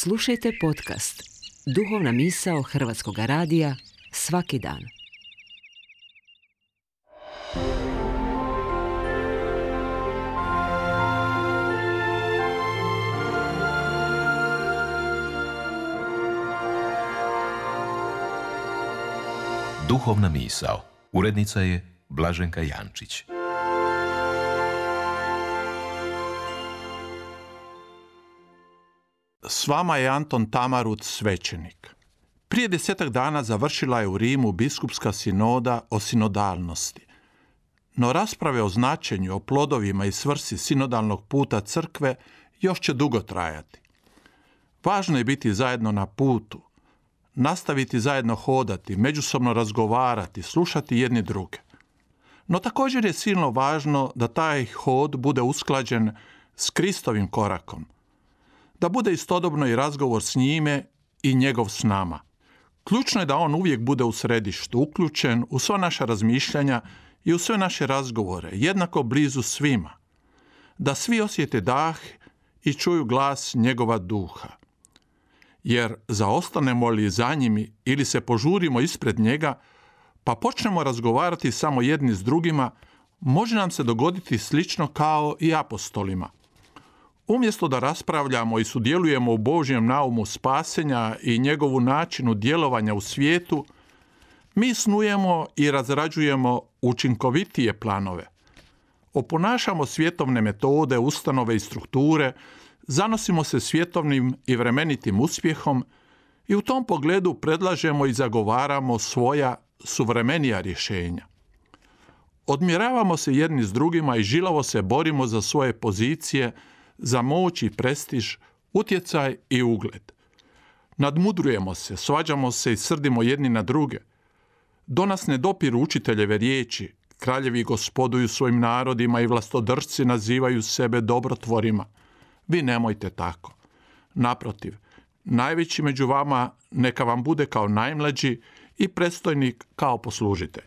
Slušajte podcast Duhovna misao Hrvatskog radija svaki dan. Duhovna misao. Urednica je Blaženka Jančić. S vama je Anton Tamarut, svećenik. Prije 10 dana završila je u Rimu biskupska sinoda o sinodalnosti. No rasprave o značenju, o plodovima i svrsi sinodalnog puta crkve još će dugo trajati. Važno je biti zajedno na putu, nastaviti zajedno hodati, međusobno razgovarati, slušati jedni druge. No također je silno važno da taj hod bude usklađen s Kristovim korakom, da bude istodobno i razgovor s njime i njegov s nama. Ključno je da on uvijek bude u središtu, uključen u sva naša razmišljanja i u sve naše razgovore, jednako blizu svima. Da svi osjete dah i čuju glas njegova duha. Jer zaostanemo li za njim ili se požurimo ispred njega, pa počnemo razgovarati samo jedni s drugima, može nam se dogoditi slično kao i apostolima. Umjesto da raspravljamo i sudjelujemo u Božjem naumu spasenja i njegovu načinu djelovanja u svijetu, mi snujemo i razrađujemo učinkovitije planove. Oponašamo svjetovne metode, ustanove i strukture, zanosimo se svjetovnim i vremenitim uspjehom i u tom pogledu predlažemo i zagovaramo svoja suvremenija rješenja. Odmjeravamo se jedni s drugima i žilavo se borimo za svoje pozicije, za moć i prestiž, utjecaj i ugled. Nadmudrujemo se, svađamo se i srdimo jedni na druge. Do nas ne dopiru učiteljeve riječi, kraljevi gospoduju svojim narodima i vlastodršci nazivaju sebe dobrotvorima. Vi nemojte tako. Naprotiv, najveći među vama neka vam bude kao najmlađi i predstojnik kao poslužitelj.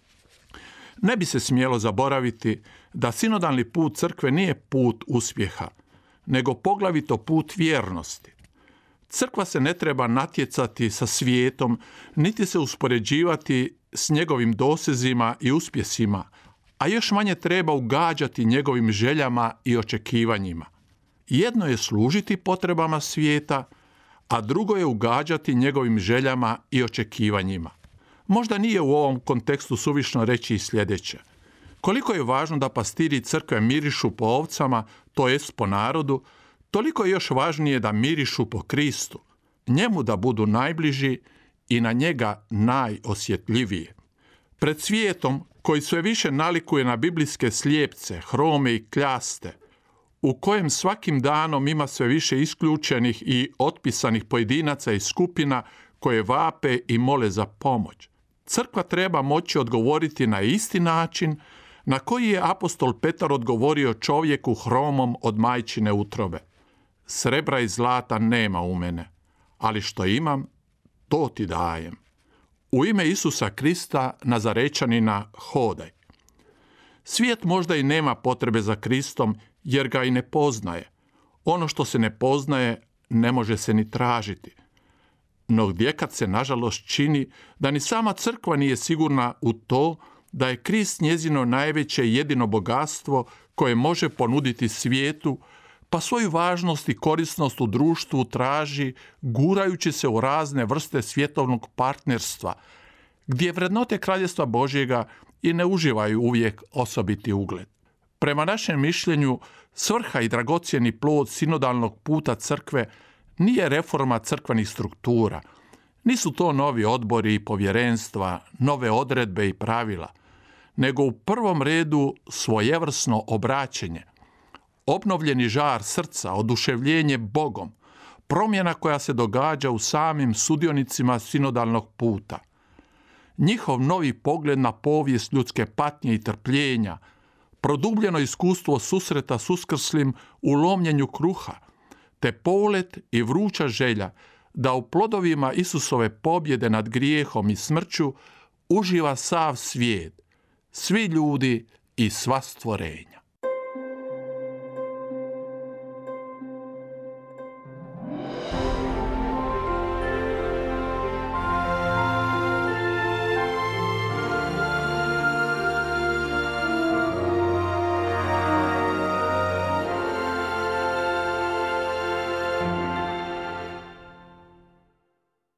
Ne bi se smjelo zaboraviti da sinodalni put crkve nije put uspjeha, nego poglavito put vjernosti. Crkva se ne treba natjecati sa svijetom, niti se uspoređivati s njegovim dosezima i uspjesima, a još manje treba ugađati njegovim željama i očekivanjima. Jedno je služiti potrebama svijeta, a drugo je ugađati njegovim željama i očekivanjima. Možda nije u ovom kontekstu suvišno reći i sljedeće. Koliko je važno da pastiri crkve mirišu po ovcama, to jest po narodu, toliko je još važnije da mirišu po Kristu, njemu da budu najbliži i na njega najosjetljivije. Pred svijetom, koji sve više nalikuje na biblijske slijepce, hrome i kljaste, u kojem svakim danom ima sve više isključenih i otpisanih pojedinaca i skupina koje vape i mole za pomoć, crkva treba moći odgovoriti na isti način na koji je apostol Petar odgovorio čovjeku hromom od majčine utrobe. Srebra i zlata nema u mene, ali što imam, to ti dajem. U ime Isusa Krista, Nazarečanina, hodaj. Svijet možda i nema potrebe za Kristom, jer ga i ne poznaje. Ono što se ne poznaje, ne može se ni tražiti. No gdjekad se nažalost čini da ni sama crkva nije sigurna u to da je Krist njezino najveće i jedino bogatstvo koje može ponuditi svijetu, pa svoju važnost i korisnost u društvu traži gurajući se u razne vrste svjetovnog partnerstva, gdje vrednote Kraljevstva Božjega i ne uživaju uvijek osobiti ugled. Prema našem mišljenju, svrha i dragocjeni plod sinodalnog puta crkve nije reforma crkvenih struktura, nisu to novi odbori i povjerenstva, nove odredbe i pravila, nego u prvom redu svojevrsno obraćenje, obnovljeni žar srca, oduševljenje Bogom, promjena koja se događa u samim sudionicima sinodalnog puta. Njihov novi pogled na povijest ljudske patnje i trpljenja, produbljeno iskustvo susreta s uskrslim u lomljenju kruha, te polet i vruća želja da u plodovima Isusove pobjede nad grijehom i smrću uživa sav svijet, svi ljudi i sva stvorenja.